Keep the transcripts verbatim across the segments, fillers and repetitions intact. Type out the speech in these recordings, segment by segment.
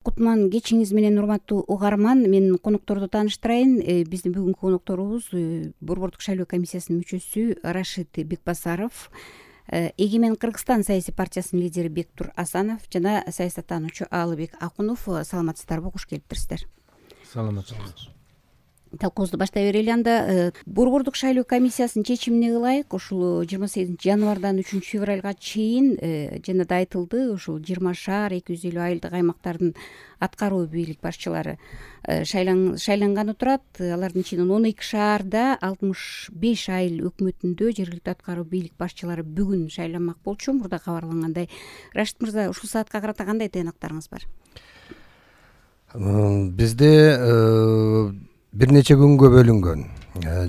Кутман кечиңиз менен, урматтуу угарман. Мен конокторду тааныштырайын. Биздин бүгүнкү конокторубуз Борбордук шайлоо комиссиясынын мүчөсү Рашид Бекбасаров, Эгемен Кыргызстан саясий партиясынын лидери Бектур Асанов жана саясаттануучу Аалыбек Акунов. Саламатсыздарбы, куш келиптирсиздер. Саламатсызбы. Талкуубузду баштай берели. Анда Борбордук шайлоо комиссиясынын чечимине ылайык ушул жыйырма сегизинчи январдан үчүнчү февралга чейин жана да айтылды, ушул жыйырма шаар, эки жүз элүү айылдык аймактардын аткаруу бийлик башчылары шайланганы турат. Алардын ичинен он эки шаарда, алтымыш беш айыл өкмөтүндө жергиликтүү аткаруу бийлик башчылары бүгүн шайланмак болчу. Мурда кабарлангандай. Рашид мырза, ушул саатка карата кандай тыйнактарыңыз бар? Бизде бир нече күнгө бөлүнгөн.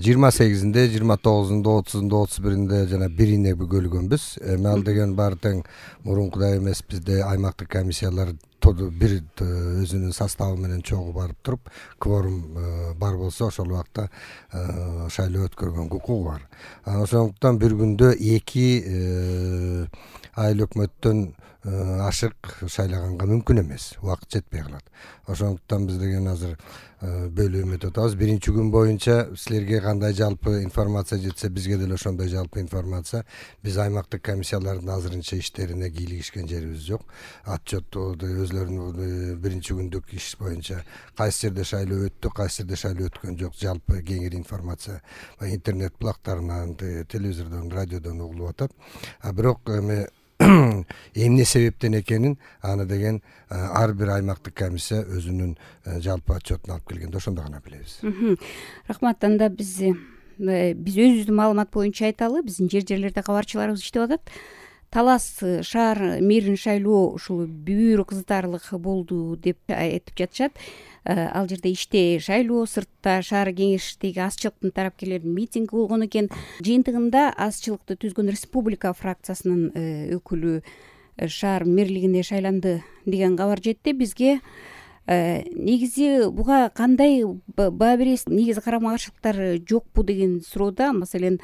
жыйырма сегизинде, жыйырма тогузунда, отузунда, отуз биринде жана бирине бөлгөнбүз. Эми ал деген баары тең мурункудай эмес. Бизде аймактык комиссиялар бир өзүнүн составы менен чогуу барып туруп, кворум бар болсо ошол убакта шайлоо өткөргөнгө укугу бар. Ошондуктан бир күндө эки айыл өкмөттөн ашык шайлаганга мүмкүн эмес. Убакыт жетпей калат. Ошондуктан биз деген азыр бөлүм өтүп атабыз. Биринчи күн боюнча силерге кандай жалпы информация жетсе, бизге деле ошондой жалпы информация. Биз аймактык комиссиялардын азырынча иштерине кийлигишкен жерибиз жок. Отчетту өзлөрүнүн биринчи күндүк иш боюнча кайсы жерде шайлоо өттү, кайсы жерде шайлоо өткөн жок, жалпы кеңири информация интернет булактарынан, телевизордон, радиодон угулуп атат. А бирок эми эмне себептен экенин аны деген ар бир аймактык комиссия өзүнүн жалпы отчетун алып келгенде ошондо гана билебиз. Рахмат. Анда биз биз өзүбүздүн маалымат боюнча айталы, биздин жер жерлерде кабарчыларыбыз иштеп атат. Талас шаар мэрин шайлоо ушул бүбүрө кызытарлык болду деп айтып жатышат. Ал жерде ичте шайлоо, сыртта шаар кеңештеги азчылыктын тарапкерлеринин митинги болгон экен. Жыйынтыгында азчылыкты түзгөн республика фракциясынын өкүлү шаар мэрлигине шайланды деген кабар жетти бизге. Негизи буга кандай баа бересиз? Негизи карама каршылыктар жокпу деген суроодо, маселен,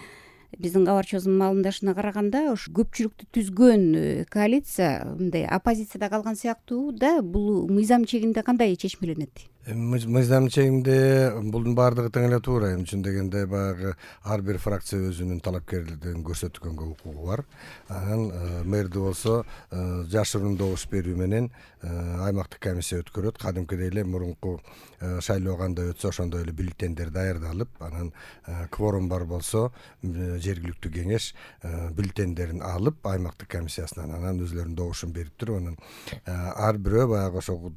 биздин кабарчыбыздын маалымдашына караганда, ушу көпчүлүктү түзгөн коалиция мындай оппозицияда калган сыяктуу да. Бул мыйзам чегинде кандай чечмеленет? Мыйзам чегинде булдун баардыгы тең эле туура. Эми чын дегенде баягы ар бир фракция өзүнүн талапкерлигин көрсөткөнгө укугу бар. Анан мэрди болсо жашыруун добуш берүү менен аймактык комиссия өткөрөт. Кадимкидей эле мурунку шайлоо кандай өтсө ошондой эле бюллетендер даярдалып, анан кворум бар болсо жергиликтүү кеңеш бюллетендерин алып аймактык комиссиясынан анан өзлөрүнүн добушун берип туруп, анан ар бирөө баягы ошол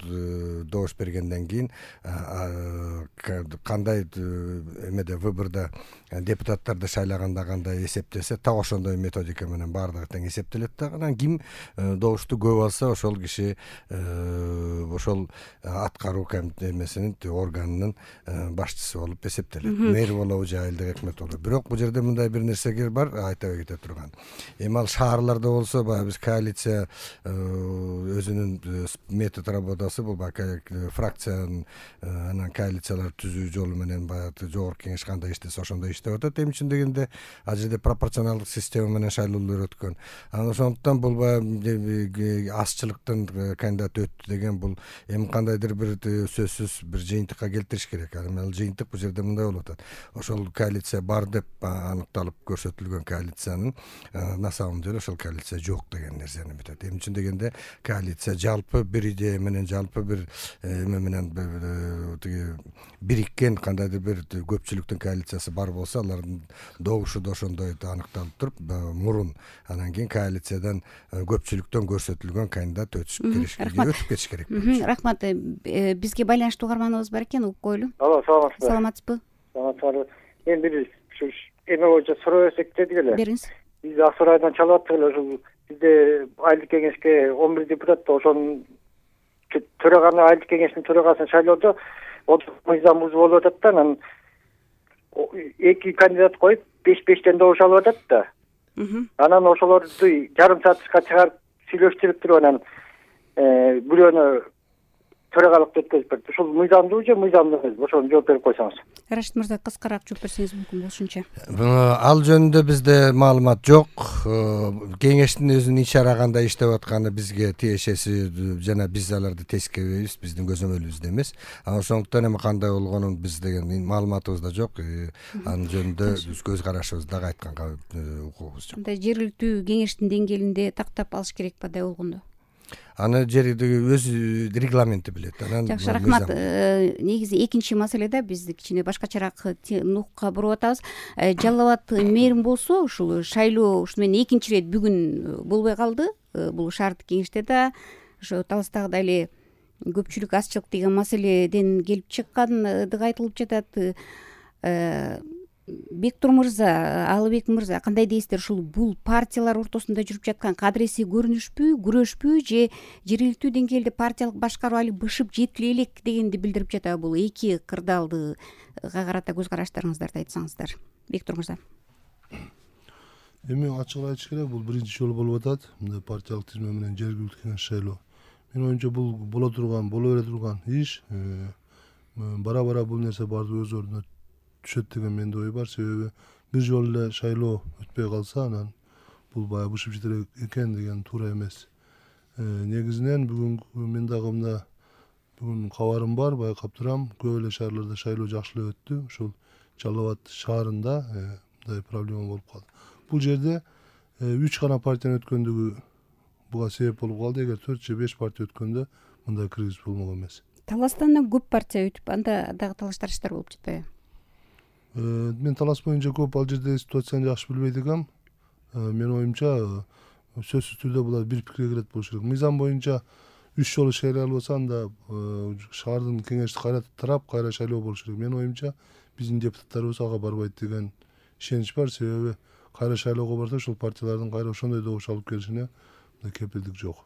добуш бергенден кийин кандай эмеде выбордо депутаттарды шайлаганда кандай эсептесе, так ошондой методика менен баардыгы тең эсептелет да. Анан ким добушту көп алса, ошол киши ошол аткаруу эмесинин органынын башчысы болуп эсептелет. Мэр болобу же айылдык өкмөт болобу. Бирок бул жерде мындай бир нерсеге бар, айта кете турган. Эми ал шаарларда болсо, баягы биз коалиция өзүнүн метод работасы, бул фракциянын анан коалициялар түзүү жолу менен баягы жогорку кеңеш кандай иштесе ошондой иштеп атат. Эми чын дегенде ал жерде пропорционалдык система менен шайлоолор өткөн. Анан ошондуктан бул баягы азчылыктын кандидаты өттү деген бул эми кандайдыр бир сөзсүз бир жыйынтыкка келтириш керек. Эми ал жыйынтык бул жерде мындай болуп атат. Ошол коалиция бар деп аныкталып көрсөтүлгөн коалициянын на самом деле ошол коалиция жок деген нерсени бүтөт. Эми чын дегенде коалиция жалпы бир идея менен, жалпы бир эме менен бириккен кандайдыр бир көпчүлүктүн коалициясы бар болсо, алардын добушу да ошондой аныкталып туруп, мурун анан кийин коалициядан көпчүлүктөн көрсөтүлгөн кандидат өтүп кетиш керек. Рахмат. Бизге байланыштуу угарманыбыз бар экен, угуп коелу. Алло, саламатсызбы? Саламатсызбы? Саламатсызбы. Мен бир эме боюнча суроо берсек дедик эле. Бериңиз. Биз Асыр айынан чалып аттык эле, ушул бизде айылдык кеңешке он бир депутат, ошонун төраганы, айылдык кеңештин төрагасын шайлоодо мыйзам бузуу болуп атат да. Анан эки кандидат коюп беш бештен добуш алып атат да. Анан ошолорду жарым саатка чыгарып сүйлөштүрүп туруп, анан бирөөнү төрагалыкты өткөзүп берди. Ушул мыйзамдуу же мыйзамдуу эмес, ошону жооп берип койсоңуз. Рашид мырза, кыскараак жооп берсеңиз мүмкүн болушунча. Ал жөнүндө бизде маалымат жок. Кеңештин өзүнүн ичара кандай иштеп атканы бизге тиешеси жана биз аларды тескеребейбиз, биздин көзөмөлүбүздө эмес. Ошондуктан эми кандай болгонун биз деген маалыматыбыз да жок. Анын жөнүндө биз көз карашыбызды дагы айтканга укугубуз жок. Андай жергиликтүү кеңештин деңгээлинде тактап алыш керек бадай болгондо. Аны жердеги өз регламенти билет. Жакшы, рахмат. Негизи экинчи маселеде биз кичине башкачараак нукка буруп атабыз. Жалал Абад мэрин болсо ушул шайлоо ушу менен экинчи ирет бүгүн болбой калды. Бул шаардык кеңеште да ошо Таластагыдай эле көпчүлүк азчылык деген маселеден келип чыккандыгы айтылып жатат. Бектур мырза, Алыбек мырза, кандай дейсиздер? Ушул бул партиялар ортосунда жүрүп жаткан кадыресий көрүнүшпү, күрөшпү же жергиликтүү деңгээлде партиялык башкаруу али бышып жетиле элек дегенди билдирип жатат? Бул эки кырдаалдыга карата көз караштарыңыздарды айтсаңыздар. Бектур мырза. Эми ачык айтыш керек, бул биринчи жолу болуп атат. Мындай партиялык тизме менен жергиликтүү кеңеш шайлоо. Менин оюмча бул боло турган, боло бере турган иш. Бара-бара бул нерсе баардыгы өз ордуна түшөт деген менде ой бар. Себеби бир жолу эле шайлоо өтпөй калса, анан бул баягы бышып жетер экен деген туура эмес. Негизинен бүгүн мен дагы мына бүгүн кабарым бар, байкап турам. Көп эле шаарларда шайлоо жакшы эле өттү. Ушул Жалал Абад шаарында мындай проблема болуп калды. Бул жерде үч гана партиянын өткөндүгү буга себеп болуп калды. Эгер төрт же беш партия өткөндө мындай кризис болмок эмес. Таластан көп партия өтүп, анда дагы талаш тарыштар болуп жатпайбы? Мен Талас боюнча көп ал жерде ситуацияны жакшы билбейт экенм. Менин оюмча сөзсүз түрдө булар бир пикирге келет болуш керек. Мыйзам боюнча үч жолу шайлоо болсо, анда шаардын кеңешти кайра тарап, кайра шайлоо болуш керек. Менин оюмча биздин депутаттарыбыз ага барбайт деген ишенич бар. Себеби кайра шайлоого барса, ушул партиялардын кайра ошондой добуш алып келишине кепилдик жок.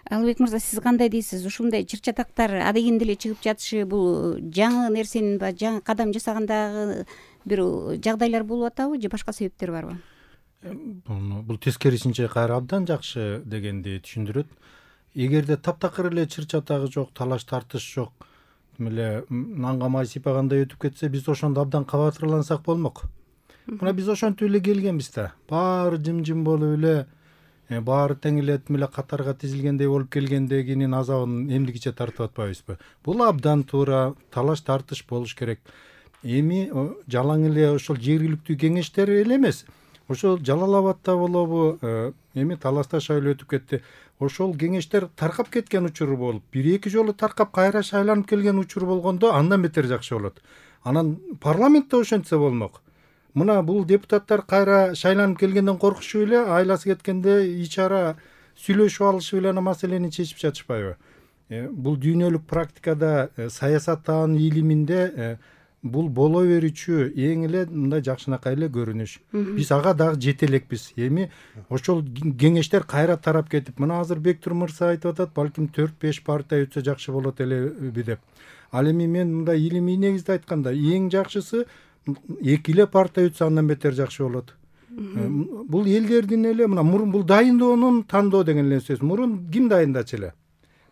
Алыбек мырза, сиз кандай дейсиз? Ушундай чыр-чатактар адегенде эле чыгып жатышы бул жаңы нерсенин ба, жаңы кадам жасагандагы бир жагдайлар болуп атабы же башка себептер барбы? Бул тескерисинче кайра абдан жакшы дегенди түшүндүрөт. Эгерде таптакыр эле чыр-чатагы жок, талаш тартыш жок, эле нанга май сыйпагандай өтүп кетсе, биз ошондо абдан кабатырлансак болмок. Мына биз ошентип эле келгенбиз да. Баары жым-жым болуп эле, баары тең эле эле катарга тизилгендей болуп келгендегинин азабын эмдигиче тартып атпайбызбы? Бул абдан туура, талаш тартыш болуш керек. Эми жалаң эле ошол жергиликтүү кеңештер эле эмес. Ошол Жалал Абадта болобу, эми Таласта шайлоо өтүп кетти. Ошол кеңештер таркап кеткен учуру болуп, бир-эки жолу таркап кайра шайланып келген учуру болгондо андан бетер жакшы болот. Анан парламентте ошентсе болмок. Мына бул депутаттар кайра шайланып келгенден коркушуп эле, айласы кеткенде ичара сүйлөшүп алышып эле ана маселени чечип жатышпайбы? Бул дүйнөлүк практикада, саясаттын илиминде бул боло берүүчү эң эле мындай жакшынакай эле көрүнүш. Биз ага дагы жете элекпиз. Эми ошол кеңештер кайра тарап кетип, мына азыр Бектур мырза айтып атат, балким төрт беш партия өтсө жакшы болот элеби деп. Ал эми мен мындай илимий негизде айтканда, эң жакшысы эки эле партия өтсө андан бетер жакшы болот. Бул элдердин эле мына мурун бул дайындоонун тандоо деген эле сөз. Мурун ким дайындачу эле?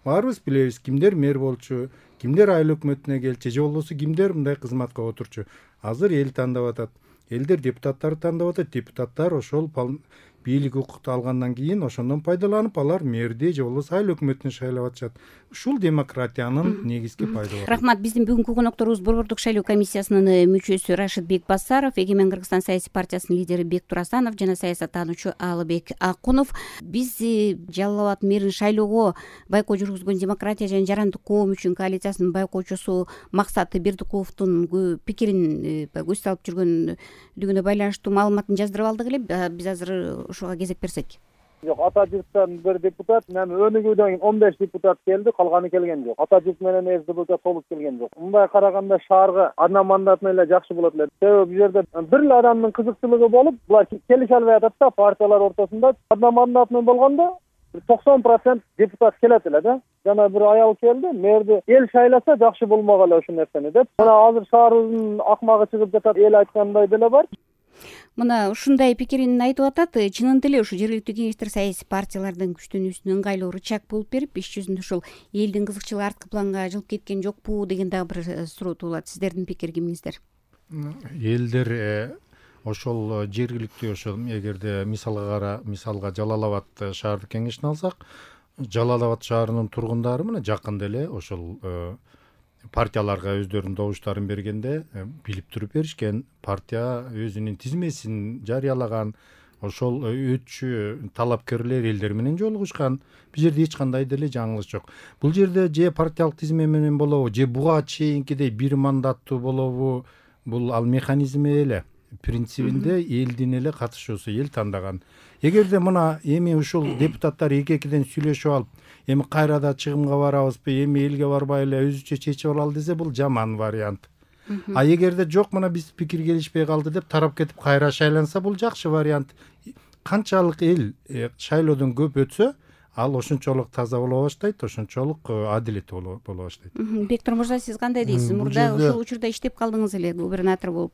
Баарыбыз билебиз, кимдер мэр болчу, кимдер айыл өкмөтүнө келчү, же болбосо кимдер мындай кызматка отурчу. Азыр эл тандап атат. Элдер депутаттарды тандап атат. Депутаттар ошол бийлик укукту алгандан кийин ошондон пайдаланып, алар мэрди же болбосо айыл өкмөтүнө шайлап атышат. Ушул демократиянын негизги пайдалуу. Рахмат. Биздин бүгүнкү конокторубуз Борбордук шайлоо комиссиясынын мүчөсү Рашид Бекбасаров, Эгемен Кыргызстан саясий партиясынын лидери Бектур Асанов жана саясаттануучу Алыбек Акунов. Биз Жалал Абад мэрин шайлоого байкоо жүргүзгөн Демократия жана Жарандык коом үчүн коалициясынын байкоочусу Максат Бердикуловдун пикирин көз салып жүргөндүгүнө байланыштуу маалыматын жаздырып алдык эле. Биз азыр ушуга кезек берсек. Жок, ата журттан бир депутат, эми өнүгүүдөн он беш депутат келди, калганы келген жок. Ата журт менен эс депутат толуп келген жок. Мындай караганда шаарга одна мандатный эле жакшы болот эле. Себеби бул жерде бир эле адамдын кызыкчылыгы болуп, булар келише албай атат да, партиялар ортосунда. Одна мандатный болгондо токсон процент депутат келет эле да. Жана бир аял келди, мэрди эл шайласа жакшы болмок эле ушул нерсени деп. Мына азыр шаарыбыздын акмагы чыгып жатат, эл айткандай деле бар. Мына ушундай пикирин айтып атат. Чынында эле ушу жергиликтүү кеңештер саясий партиялардын күчтөнүүсүнө ыңгайлуу рычаг болуп берип, иш жүзүндө ушул элдин кызыкчылыгы арткы планга жылып кеткен жокпу деген дагы бир суроо туулат. Сиздердин пикириңиздер? Элдер ошол жергиликтүү ошол эгерде мисалга кара мисалга Жалал Абад шаардык кеңешин алсак, Жалал Абад шаарынын тургундары мына жакында эле ошол партияларга өздөрүнүн добуштарын бергенде билип туруп беришкен. Партия өзүнүн тизмесин жарыялаган, ошол өтчү талапкерлер элдер менен жолугушкан. Бул жерде эч кандай деле жаңылыш жок. Бул жерде же партиялык тизме менен болобу, же буга чейинкидей бир мандаттуу болобу, бул ал механизми эле. Принцибинде элдин эле катышуусу, эл тандаган. Эгерде мына эми ушул депутаттар эки-экиден сүйлөшүп алып, эми кайрада чыгымга барабызбы, эми элге барбай эле өзүчө чечип алалы десе, бул жаман вариант. А эгерде жок, мына биз пикир келишпей калды деп тарап кетип кайра шайланса, бул жакшы вариант. Канчалык эл шайлоодон көп өтсө, ал ошончолук таза боло баштайт, ошончолук адилеттүү боло баштайт. Бектур мырза, сиз кандай дейсиз? Мурда ушул учурда иштеп калдыңыз эле губернатор болуп.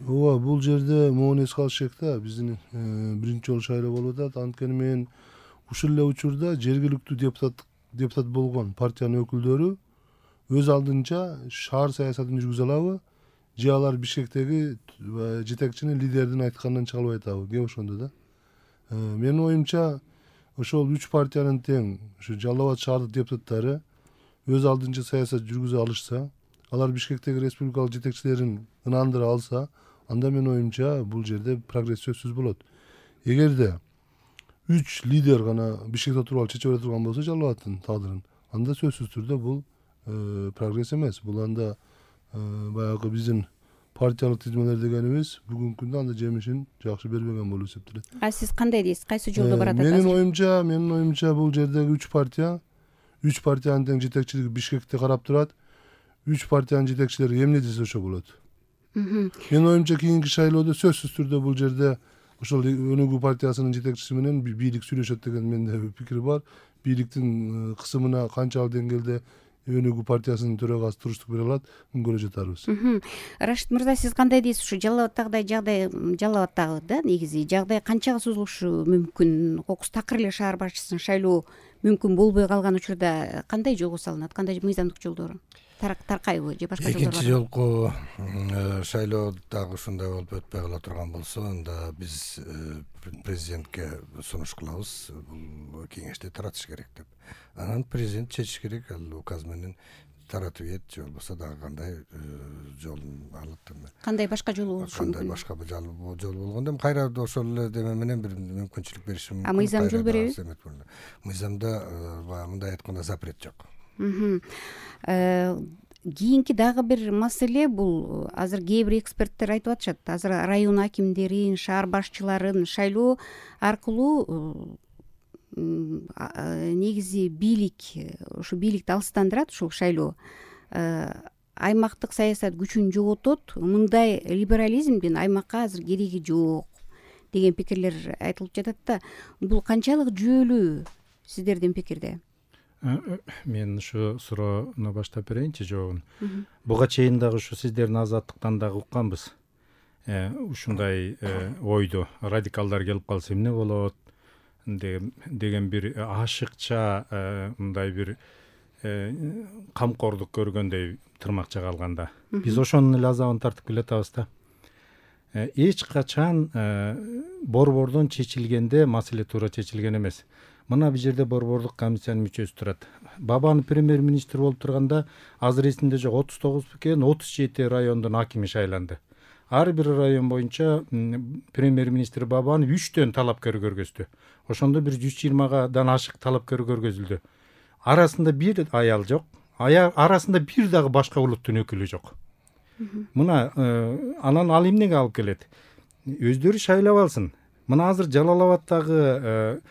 Ооба, бул жерде могуну эске алыш керек да. Биздин биринчи жолу шайлоо болуп атат. Анткени мен ушул эле учурда жергиликтүү депутат депутат болгон партиянын өкүлдөрү өз алдынча шаар саясатын жүргүзө алабы, же алар Бишкектеги жетекчинин лидердин айтканынан чыга албай атабы? Кеп ошондо да. Менин оюмча ошол үч партиянын тең ушу Жалал Абад шаардык депутаттары өз алдынча саясат жүргүзө алышса, алар Бишкектеги республикалык жетекчилерин ынандыра алса, анда менин оюмча бул жерде прогресс сөзсүз болот. Эгерде үч лидер гана Бишкекте отуруп алып чечип бере турган болсо Жалал Абадтын тагдырын, анда сөзсүз түрдө бул прогресс эмес. Бул анда баягы биздин партиялык тизмелер дегенибиз бүгүнкү күндө анда жемишин жакшы бербеген болуп эсептелет. А сиз кандай дейсиз? Кайсы жолдо барат атасыз? Менин оюмча, менин оюмча бул жердеги үч партия, үч партиянын тең жетекчилиги Бишкекте карап турат. Үч партиянын жетекчилери эмне десе ошо болот. Менин оюмча кийинки шайлоодо сөзсүз түрдө бул жерде ошол Өнүгүү партиясынын жетекчиси менен бийлик сүйлөшөт деген менде пикир бар. Бийликтин кысымына канчалык деңгээлде Өнүгүү партиясынын төрагасы туруштук бере алат, муну көрө жатарбыз. Рашид мырза, сиз кандай дейсиз? Ушу Жалал Абадтагыдай жагдай, Жалал Абадтагы да негизи жагдай канчага созулушу мүмкүн? Кокус такыр эле шаар башчысын шайлоо мүмкүн болбой калган учурда кандай жолго салынат? Кандай мыйзамдык жолдору? Таркайбы же башка жолдор барбы? Экинчи жолку шайлоо дагы ушундай болуп өтпөй кала турган болсо, анда биз президентке сунуш кылабыз, бул кеңешти таратыш керек деп. Анан президент чечиш керек, ал указ менен таратып ийет, же болбосо дагы кандай жолун алат. Кандай башка жолу болушу мүмкүн? Кандай башка жол болгондо кайра ошол эле деме менен бир мүмкүнчүлүк бериши мүмкүн. А мыйзам жол береби? Мыйзамда мындай айтканда запрет жок. Кийинки дагы бир маселе бул азыр кээ бир эксперттер айтып атышат. Азыр район акимдерин, шаар башчыларын шайлоо аркылуу негизи бийлик, ушу бийликти алыстандырат ушул шайлоо. Аймактык саясат күчүн жоготот. Мындай либерализмдин аймакка азыр кереги жок деген пикирлер айтылып жатат да. Бул канчалык жүйөлүү сиздердин пикирде? Мен ушу суроону баштап берейинчи жообун. Буга чейин дагы ушу сиздердин азаттыктан дагы укканбыз. Ушундай ойду радикалдар келип калса эмне болот деген бир ашыкча мындай бир камкордук көргөндөй тырмакча калганда. Биз ошонун эле азабын тартып келатабыз да. Эч качан борбордон чечилгенде маселе туура чечилген эмес. Мына бул жерде борбордук комиссиянын мүчөсү турат. Бабанов премьер-министр болуп турганда азыр эсимде жок, отуз тогуз экен, отуз жети райондун акими шайланды. Ар бир район боюнча премьер-министр Бабанов үчтөн талапкер көргөздү. Ошондо бир жүз жыйырмадан ашык талапкер көргөзүлдү. Арасында бир аял жок, арасында бир дагы башка улуттун өкүлү жок. Мына анан ал эмнеге алып келет? Өздөрү шайлап алсын. Мына азыр Жалал Абадтагы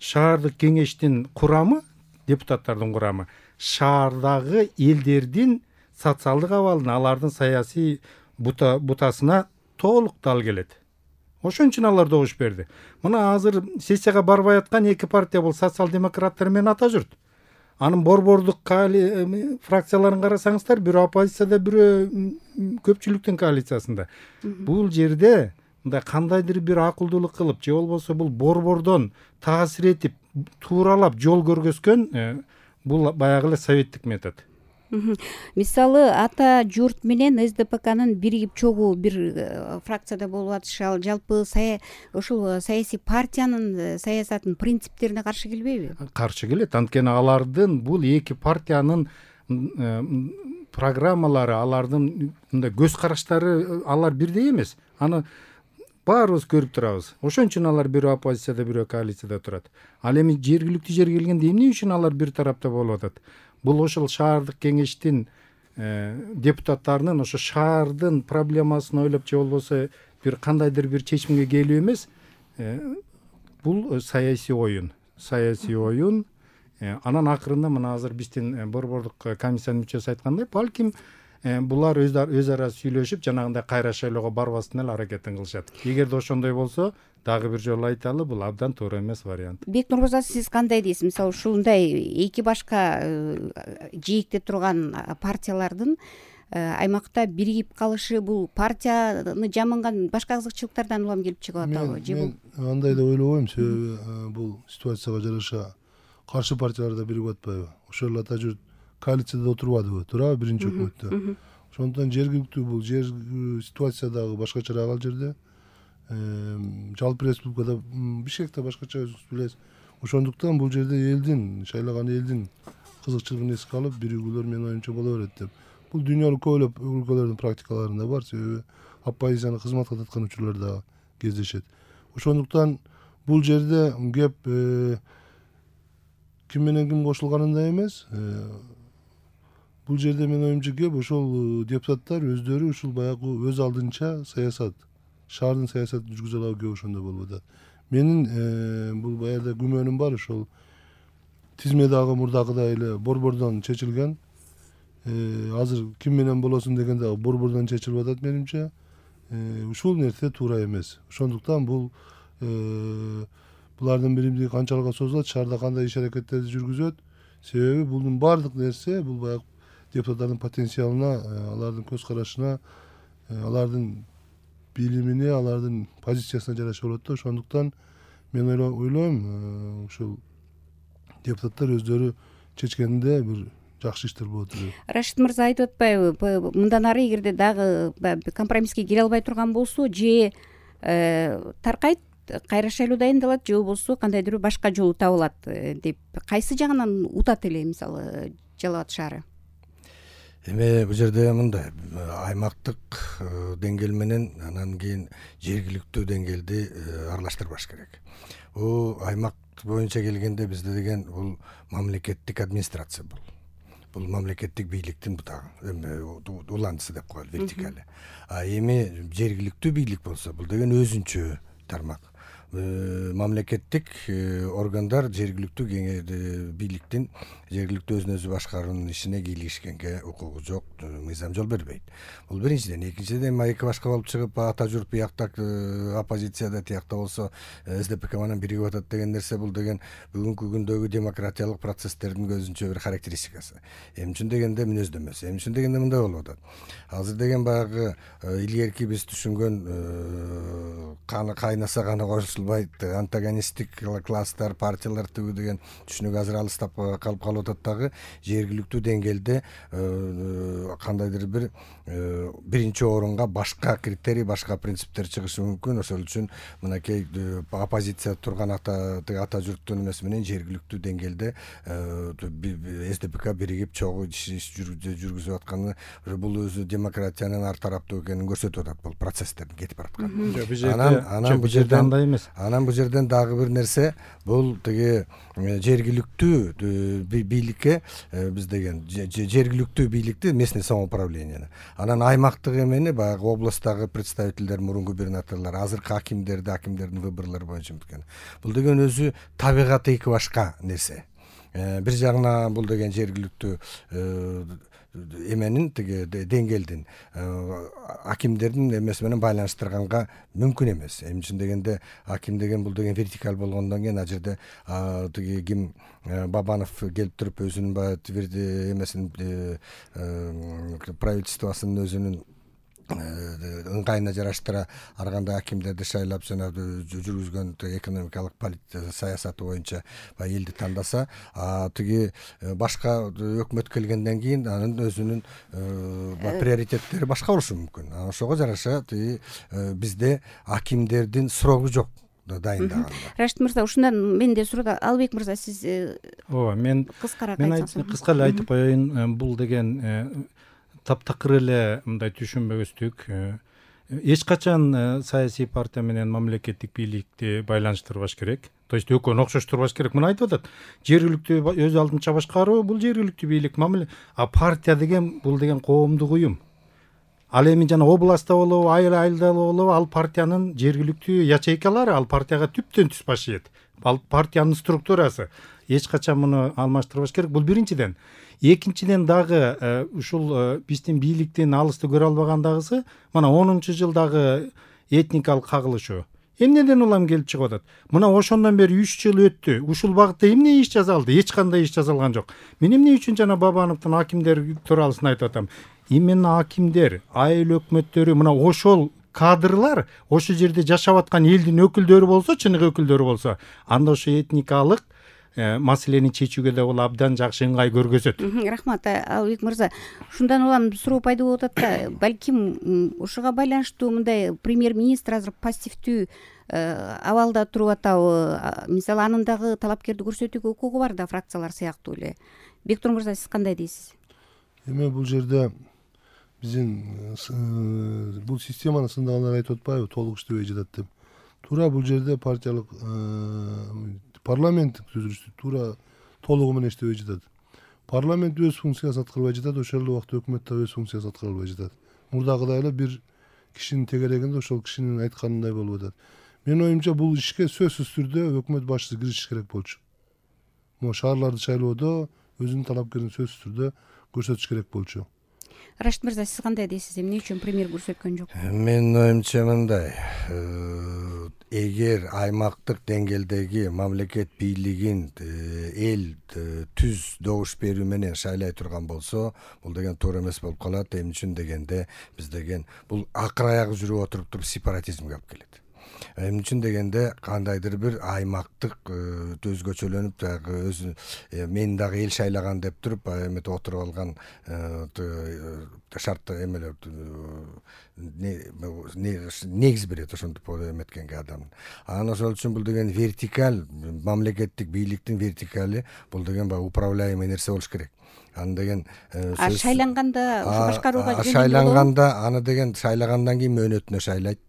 шаардык кеңештин курамы, депутаттардын курамы шаардагы элдердин социалдык абалына, алардын саясий бутасына толук дал келет. Ошон үчүн алар добуш берди. Мына азыр сессияга барбай аткан эки партия бул социал-демократтар менен Ата журт. анын борбордук фракцияларын карасаңыздар, бирөө оппозицияда, бирөө көпчүлүктүн коалициясында. Бул жерде мындай кандайдыр бир акылдуулук кылып, же болбосо бул борбордон таасир этип, тууралап жол көргөзгөн бул баягы эле советтик метод. Мисалы ата журт менен эс де пэ канын биригип чогуу бир фракцияда болуп атышы, ал жалпы ушул саясий партиянын саясатынын принциптерине каршы келбейби? Каршы келет. Анткени алардын бул эки партиянын программалары, алардын мындай көз караштары алар бирдей эмес. Аны баарыбыз көрүп турабыз. Ошон үчүн алар бирөө оппозицияда, бирөө коалицияда турат. Ал эми жергиликтүү жерге келгенде эмне үчүн алар бир тарапта болуп атат? Бул ошол шаардык кеңештин депутаттарынын ошо шаардын проблемасын ойлоп, же болбосо бир кандайдыр бир чечимге келүү эмес. Бул саясий оюн, саясий оюн. Анан акырында мына азыр биздин борбордук комиссиянын мүчөсү айткандай, балким булар өз ара сүйлөшүп, жанагындай кайра шайлоого барбастын эле аракетин кылышат. Эгерде ошондой болсо, дагы бир жолу айталы, бул абдан туура эмес вариант. Бек Нурмырза, сиз кандай дейсиз? Мисалы ушундай эки башка жийикте турган партиялардын аймакта биригип калышы бул партияны жаманган башка кызыкчылыктардан улам келип чыгып атабы? Мен андай деп ойлобойм, себеби бул ситуацияга жараша каршы партиялар да биригип атпайбы? Ошол ата журт коалицияда отурбадыбы, туурабы, биринчи өкмөттө. Ошондон жергиликтүү бул жер ситуациядагы башкачараак ал жерде. Жалпы республикада, Бишкекте башкача өзүңүз билесиз. Ошондуктан бул жерде элдин, шайлаган элдин кызыкчылыгын эске алып, биригүүлөр менин оюмча боло берет деп. Бул дүйнөлүк көбөлөп өлкөлөрдүн практикаларында бар, себеби оппозицияны кызматка таткан учурлар да кездешет. Ошондуктан бул жерде кеп ким менен ким кошулганында эмес, бул жерде менин оюмча кеп ошол депутаттар өздөрү ушул баягы өз алдынча саясат, шаардын саясатын жүргүзө алабы кеп ошондой болуп атат. Менин бул баягы күмөнүм бар, ошол тизме дагы мурдагыдай эле борбордон чечилген. Азыр ким менен болосун дегенде борбордон чечилип атат менимче. Ушул нерсе туура эмес. Ошондуктан бул булардын биримдиги канчалыкка созулат, шаарда кандай иш аракеттерди жүргүзөт. Себеби булдун баардык нерсе бул баягы депутаттардын потенциалына, алардын көз карашына, алардын билимине, алардын позициясына жараша болот да. Ошондуктан мен ойлойм, ушул депутаттар өздөрү чечкенде бир жакшы иштер болот деп. Рашид мырза айтып атпайбы, мындан ары эгерде дагы компромисске келе албай турган болсо, же таркайт, кайра шайлоо дайындалат, же болбосо кандайдыр башка жолу табылат деп, кайсы жагынан утат эле мисалы Жалал Абад шаары? Эми бул жерде мындай аймактык деңгээл менен анан кийин жергиликтүү деңгээлди аралаштырбаш керек. Бул аймак боюнча келгенде бизде деген бул мамлекеттик администрация бул. Бул мамлекеттик бийликтин бутагы, эми уланчысы деп коелу, вертикали. А эми жергиликтүү бийлик болсо, бул деген өзүнчө тармак. Мамлекеттик органдар жергиликтүү бийликтин жергиликтүү өзүн өзү башкаруунун ишине кийлигишкенге укугу жок, мыйзам жол бербейт. Бул биринчиден. Экинчиден, эки башка болуп чыгып, ата журт биякта оппозицияда, тиякта болсо эс де пэ ка менен биригип атат деген нерсе, бул деген бүгүнкү күндөгү демократиялык процесстердин өзүнчө бир характеристикасы. Эмне үчүн дегенде мүнөздөмөсү. Эмне үчүн дегенде мындай болуп атат. Азыр деген баягы илгерки биз түшүнгөн каны кайнаса каны кошулбайт, антагонисттик класстар, партиялар түгү деген түшүнүк азыр алыстап калып калып атат дагы. Жергиликтүү деңгээлде кандайдыр бир биринчи орунга башка критерий, башка принциптер чыгышы мүмкүн. Ошол үчүн мынакей оппозиция турган ата ата журттун эмеси менен жергиликтүү деңгээлде эс де пэ ка биригип чогуу иш жүргүзүп атканы, бул өзү демократиянын ар тараптуу экенин көрсөтүп атат, бул процесстердин кетип баратканы. Анан анан бул жерде андай эмес. Анан бул жерден дагы бир нерсе, бул тиги жергиликтүү бийликке биз деген жергиликтүү бийликти, местный самоуправлениени, анан аймактык эмени баягы областтагы представительдер, мурунку губернаторлор, азыркы акимдерди, акимдердин выборлору боюнча өткөн. Бул деген өзү табигаты эки башка нерсе. бир жагынан бул деген жергиликтүү эменин тиги деңгээлдин акимдердин эмеси менен байланыштырганга мүмкүн эмес. Эмне үчүн дегенде аким деген бул деген вертикаль болгондон кийин ал жерде тиги ким Бабанов келип туруп өзүнүн баягы эмесин правительствосунун өзүнүн ыңгайына жараштыра ар кандай акимдерди шайлап жана жүргүзгөн экономикалык саясаты боюнча баягы элди тандаса, тиги башка өкмөт келгенден кийин анын өзүнүн приоритеттери башка болушу мүмкүн. Ошого жараша тиги бизде акимдердин срогу жок дайындаганда. Рашид мырза, ушундан мен да суроо. Албек мырза, сиз ооба, мен кыскараак айтсаңыз. Кыска эле айтып коеюн. Бул деген таптакыр эле мындай түшүнбөстүк. Эч качан саясий партия менен мамлекеттик бийликти байланыштырбаш керек. То есть экөөнү окшоштурбаш керек. Мына айтып атат. Жергиликтүү өз алдынча башкаруу бул жергиликтүү бийлик, а партия деген бул деген коомдук уюм. Ал эми жана областта болобу, айыл айылда болобу, ал партиянын жергиликтүү ячейкалары, ал партияга түптөн түз башыйт. Ал партиянын структурасы. Эч качан муну алмаштырбаш керек. Бул биринчиден. Экинчиден дагы ушул биздин бийликтин алысты көрө албагандагысы, мына онунчу жылдагы этникалык кагылышуу. Эмнеден улам келип чыгып атат? Мына ошондон бери үч жыл өттү. Ушул багытта эмне иш жасалды? Эч кандай иш жасалган жок. Мен эмне үчүн жана Бабановдун акимдер тууралысын айтып атам? Именно акимдер, айыл өкмөттөрү, мына ошол кадрлар ошол жерде жашап аткан элдин өкүлдөрү болсо, чыныгы өкүлдөрү болсо, анда ошо этникалык маселени чечүүгө да бул абдан жакшы ыңгай көргөзөт. Рахмат, Албек мырза. Ушундан улам суроо пайда болуп атат да, балким ушуга байланыштуу мындай премьер-министр азыр пассивдүү абалда туруп атабы? Мисалы, анын дагы талапкерди көрсөтүүгө укугу бар да, фракциялар сыяктуу эле. Бектур мырза, сиз кандай дейсиз? Эми бул жерде биздин бул системаны сындагандар айтып атпайбы, толук иштебей жатат деп. Туура бул жерде партиялык парламенттик түзүлүштү туура толугу менен иштебей жатат. Парламент өз функциясын аткарбай жатат, ошол эле убакта өкмөт да өз функциясын аткара албай жатат. Мурдагыдай эле бир кишинин тегерегинде ошол кишинин айтканындай болуп атат. Менин оюмча бул ишке сөзсүз түрдө өкмөт башчысы киришиш керек болчу. Могу шаарларды шайлоодо өзүнүн талапкерин сөзсүз түрдө көрсөтүш керек болчу. Рашид мырза, сиз кандай дейсиз? Эмне үчүн премьер көрсөткөн жок? Менин оюмча мындай, эгер аймактык деңгээлдеги мамлекет бийлигин эл түз добуш берүү менен шайлай турган болсо, бул деген туура эмес болуп калат. Эмне үчүн дегенде биз деген бул акыр аягы жүрүп отуруп туруп сепаратизмге алып келет. Эмне үчүн дегенде кандайдыр бир аймактык өзгөчөлөнүп дагы өзү мен дагы эл шайлаган деп туруп эметип отуруп алган шарт эмелер негиз берет ошентип эметкенге адам. Анан ошол үчүн бул деген вертикаль, мамлекеттик бийликтин вертикали бул деген баягы управляемый нерсе болуш керек. Аны деген шайланганда башкарууга жөнөдү. Шайланганда аны деген шайлагандан кийин мөөнөтүнө шайлайт.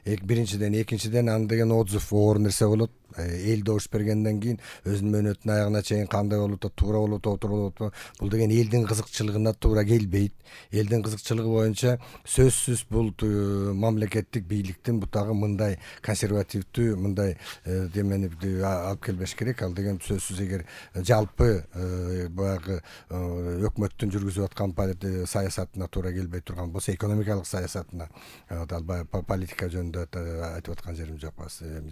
Биринчиден, экинчиден аны деген отзыв оор нерсе болот. Эл добуш бергенден кийин өзүнүн мөөнөтүнүн аягына чейин кандай болуп атат, туура болуп атпы, туура болуп атпы, бул деген элдин кызыкчылыгына туура келбейт. Элдин кызыкчылыгы боюнча сөзсүз бул мамлекеттик бийликтин бутагы мындай консервативдүү, мындай демени алып келбеш керек. Ал деген сөзсүз эгер жалпы баягы өкмөттүн жүргүзүп аткан саясатына туура келбей турган болсо, экономикалык саясатына, албай политика жөнүндө айтып аткан жерим жок,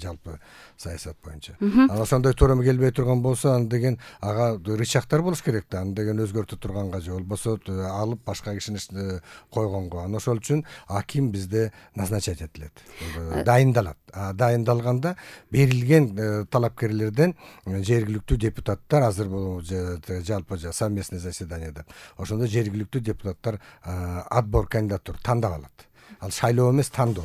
жалпы саясат боюнча. Анан ошондой туура келбей турган болсо, аны деген ага рычагдар болуш керек да, аны деген өзгөртө турганга же болбосо алып башка кишини койгонго. Анан ошол үчүн аким бизде назначать этилет, дайындалат. Дайындалганда берилген талапкерлерден жергиликтүү депутаттар азыр бул жалпы совместный заседанияда ошондо жергиликтүү депутаттар отбор кандидатур тандап алат. Ал шайлоо эмес, тандоо.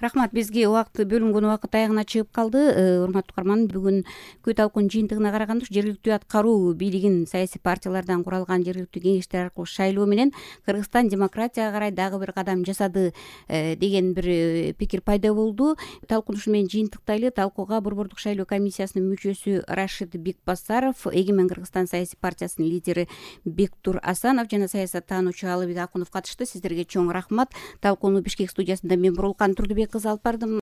Рахмат, бизге убакыт бөлүнгөн убакыт аягына чыгып калды. Урматтуу угарман, бүгүнкү талкуунун жыйынтыгына караганда жергиликтүү аткаруу бийлигин саясий партиялардан куралган жергиликтүү кеңештер аркылуу шайлоо менен Кыргызстан демократияга карай дагы бир кадам жасады деген бир пикир пайда болду. Талкууну ушу менен жыйынтыктайлы. Талкууга Борбордук шайлоо комиссиясынын мүчөсү Рашид Бекбасаров, Эгемен Кыргызстан саясий партиясынын лидери Бектур Асанов жана саясаттануучу Алыбек Акунов катышты. Сиздерге чоң рахмат. Талкууну Бишкек студиясында мен Бурулкан Турдубек кызы алып бардым.